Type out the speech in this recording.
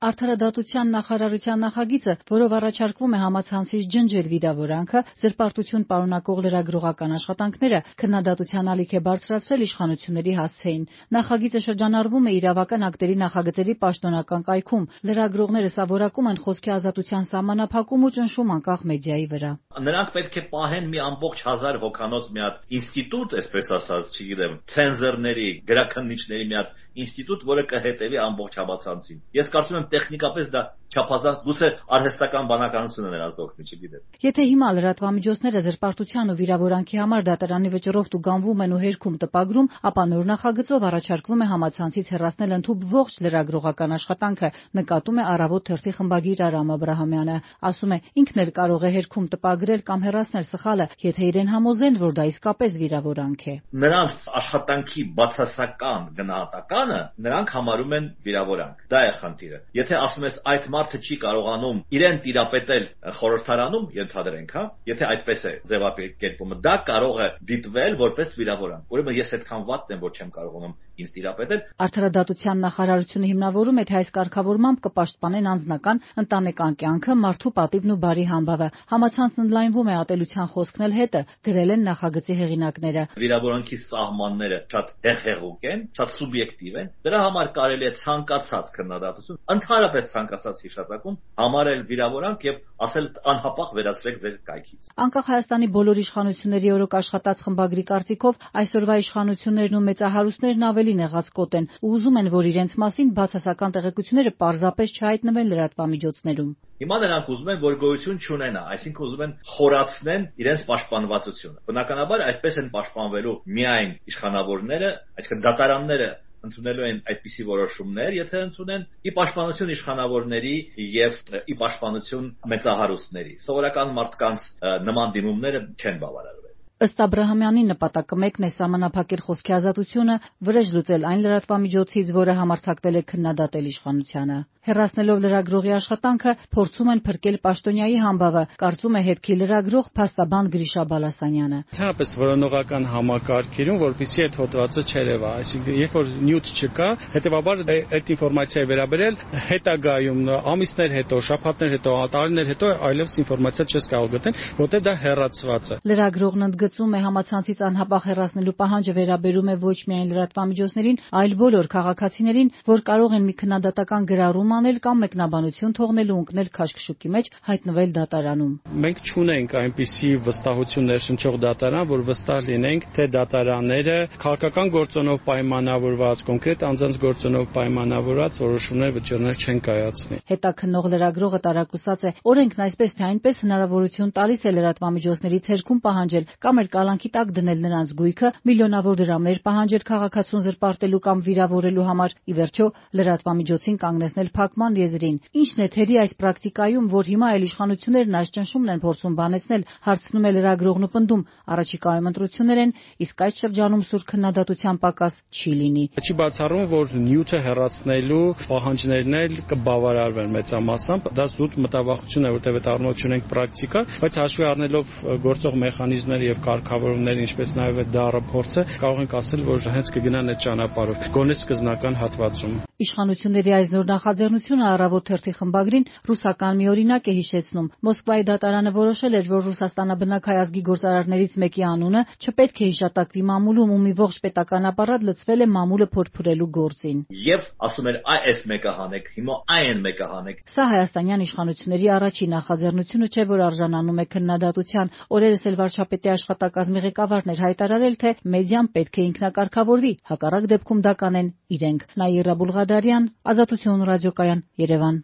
Արդարադատության նախարարության նախագիծը, որով առաջարկվում է համացանցից ջնջել վիրավորանքը, զրպարտություն պարունակող լրագրողական աշխատանքները, քննադատության ալիք է բարձրացրել իշխանությունների հասցեին։ Նախագիծը շրջանառվում է իրավական ակտերի նախագծերի պաշտոնական կայքում։ Լրագրողները սա որակում են խոսքի ազատության սահմանափակում ու ճնշում անկախ մեդիայի վրա։ Նրանք պետք է պահեն մի ամբողջ 1000 հոգանոց մի հատ ինստիտուտ, այսպես ասած, չգիտեմ, ցենզորների, գրաքննիչների մի հատ ինստիտուտ, որը կհետևի ամբողջ համացանցին։ Ես կարծում եմ տեխնիկապես դա չափազանց գուցե արհեստական բանականությունը նրանց օգնի, չգիտեմ։ Եթե հիմա լրատվամիջոցները զրպարտության ու վիրավորանքի համար դատարանի վճռով տուգանվում են ու հերքում տպագրում, ապա նոր նախագծով առաջարկվում է համացանցից հեռացնել ընդհուպ ողջ լրագրողական աշխատանքը, նկատում է Առավոտ թերթի խմբագիր Արամ Աբրահամյանը։ Ասում է, ինքն էլ կարող է հերքում տպագրել կամ հեռացնել սխալը, եթե իրեն համոզեն, որ դա իսկապես վիրավորանք է։ Նրանց աշխատանքի բացասական գնահատականը նրանք համարում են վիրավորանք։ Դա է խնդիրը։ Եթե ասում ես այդ մարդը չի կարողանում իրեն տիրապետել խորհրդարանում, ենթադրենք, եթե այդպես է ձևակերպումը, դա կարող է դիտվել որպես վիրավորանք։ Ուրեմն ես այդքան վատն եմ, որ չեմ կարողանում ինձ տիրապետել։ Արդարադատության նախարարությունը հիմնավորում է, թե այս կարգավորմամբ կպաշտպանեն անձնական, ընտանեկան կյանքը, մարդու պատիվն ու բարի համբավը։ Համացանցն ընդլայնվում է ատելության խոսքն էլ հետը, գրել են նախագծի հեղինակները։ Վիրավորանքի սահմանները շատ հեղեղուկ են, շատ սուբյեկտիվ են։ Դրա համար կարելի է ցանկացած քննադատություն, ընդհանրապես ցանկացած հիշատակում համարել վիրավորանք եւ ասել անհապաղ վերացրեք ձեր կայքից։ Անկախ Հայաստանի բոլոր իշխանությունների օրոք աշխատած խմբագրի կարծիքով, այսօրվա իշխանություններն ու մեծահարուստներն ավելի նեղացկոտ են ու ուզում են, որ իրենց մասին բացասական տեղեկությունները պարզապես չհայտնվեն լրատվամիջոցներում։ Հիմա նրանք ուզում են, որ գոյություն չունենա, այսինքն ուզում են խորացնեն իրենց պաշտպանվածությունը։ Բնականաբար այդպես են պաշտպանվելու միայն իշխանավորները, այսինքն դատարանները ընդունելու են այդպիսի որոշումներ, եթե ընդունեն ի պաշտպանություն իշխանավորների եւ ի պաշտպանություն մեծահարուստների։ Սովորական մարդկանց նման դիմումները չեն բավարարվել։ Ըստ Աբրահամյանի նպատակը մեկն է սահմանափակել խոսքի ազատությունը, վրեժ լուծել այն լրատվամիջոցից, որը համարձակվել է քննադատել իշխանությանը։ Հեռացնելով լրագրողի աշխատանքը, փորձում են փրկել պաշտոնյայի համբավը, կարծում է հետքի լրագրող փաստաբան Գրիշա Բալասանյանը։ Ընդհանրապես որոնողական համակարգերում, որպեսզի այդ հոդվածը չերևա, այսինքն երբ որ նյութ չկա, հետեւաբար այդ ինֆորմացիայի վերաբերել հետագայում ամիսներ հետո, շաբաթներ հետո, տարիներ հետո այլևս ինֆորմացիա չես կարող գտնել, որտեղ դա հեռացված է։ Լրագրողն ընդգծում է, համացանցից անհապաղ հեռացնելու պահանջը վերաբերում է ոչ միայն լրատվամիջոցներին, այլ բոլոր քաղաքացիներին, որ կարող են մի քննադատական գրառում անել կամ մեկնաբանություն թողնել ու ընկնել քաշքշուկի մեջ, հայտնվել դատարանում։ Մենք չունենք այնպիսի վստահություն ներշնչող դատարան, որ վստահ լինենք, թե դատարանները քաղաքական գործոնով պայմանավորված, կոնկրետ անձանց գործոնով պայմանավորված որոշումներ վճիռներ չեն կայացնի։ Հետաքննող լրագրողը տարակուսած է, օրենքն այսպես թե այնպես հնարավորություն տալիս է լրատվամիջոցներից հերքում պահանջել կամ էլ կալանքի տակ դնել նրանց գույքը, միլիոնավոր դրամներ պահանջել քաղաքացուն զրպարտելու կամ վիրավորելու համար, ի վերջո լրատվամիջոցին կանգնեցնել փակման եզրին։ Ինչն է թերի այս պրակտիկայում, որ հիմա էլ իշխանություններն այս ճնշումն են փորձում բանեցնել, հարցնում է լրագրողն ու պնդում, առաջիկայում ընտրություններ են, իսկ այդ շրջանում սուր քննադատության պակաս չի լինի։ Չի բացառում, որ նյութը հեռացնելու պահանջներն էլ կբավարարվեն մեծամասամբ, դա զուտ մտավախություն է, որտեղ այդ առնոտ չունենք պրակտիկա, բայց հաշվի առնելով գործող մեխանիզմները եւ կարգավորումները, ինչպես նաեւ այդ դառը փորձը, կարող ենք ասել, որ հենց կգնան այդ ճանապարհով, գոնե սկզբնական հատվածում։ Իշխանությունների այս նոր նախաձեռնությունը Առավոտ թերթի խմբագրին ռուսական մի օրինակ է հիշեցնում։ Մոսկվայի դատարանը որոշել էր, որ Ռուսաստանաբնակ հայ ազգի գործարարներից մեկի անունը չպետք է հիշատակվի մամուլում ու մի ողջ պետական ապարատ լցվել է մամուլը փորփրելու գործին։ Եվ ասում էր այս մեկը հանեք, հիմա այն մեկը հանեք։ Սա հայաստանյան իշխանությունների առաջին նախաձեռնությունը չէ, որ արժանանում է քննադատության։ Օրերս էլ վարչապետի աշխատակազմի ղեկավարն էր հայտարարել, թե մեդիան պետք է ինքնակարգավորվի, հակառակ դեպքում դա կանեն իրենք։ Նաիրա Բուլղադարյան, Ազատություն ռադիոկայան, Երևան։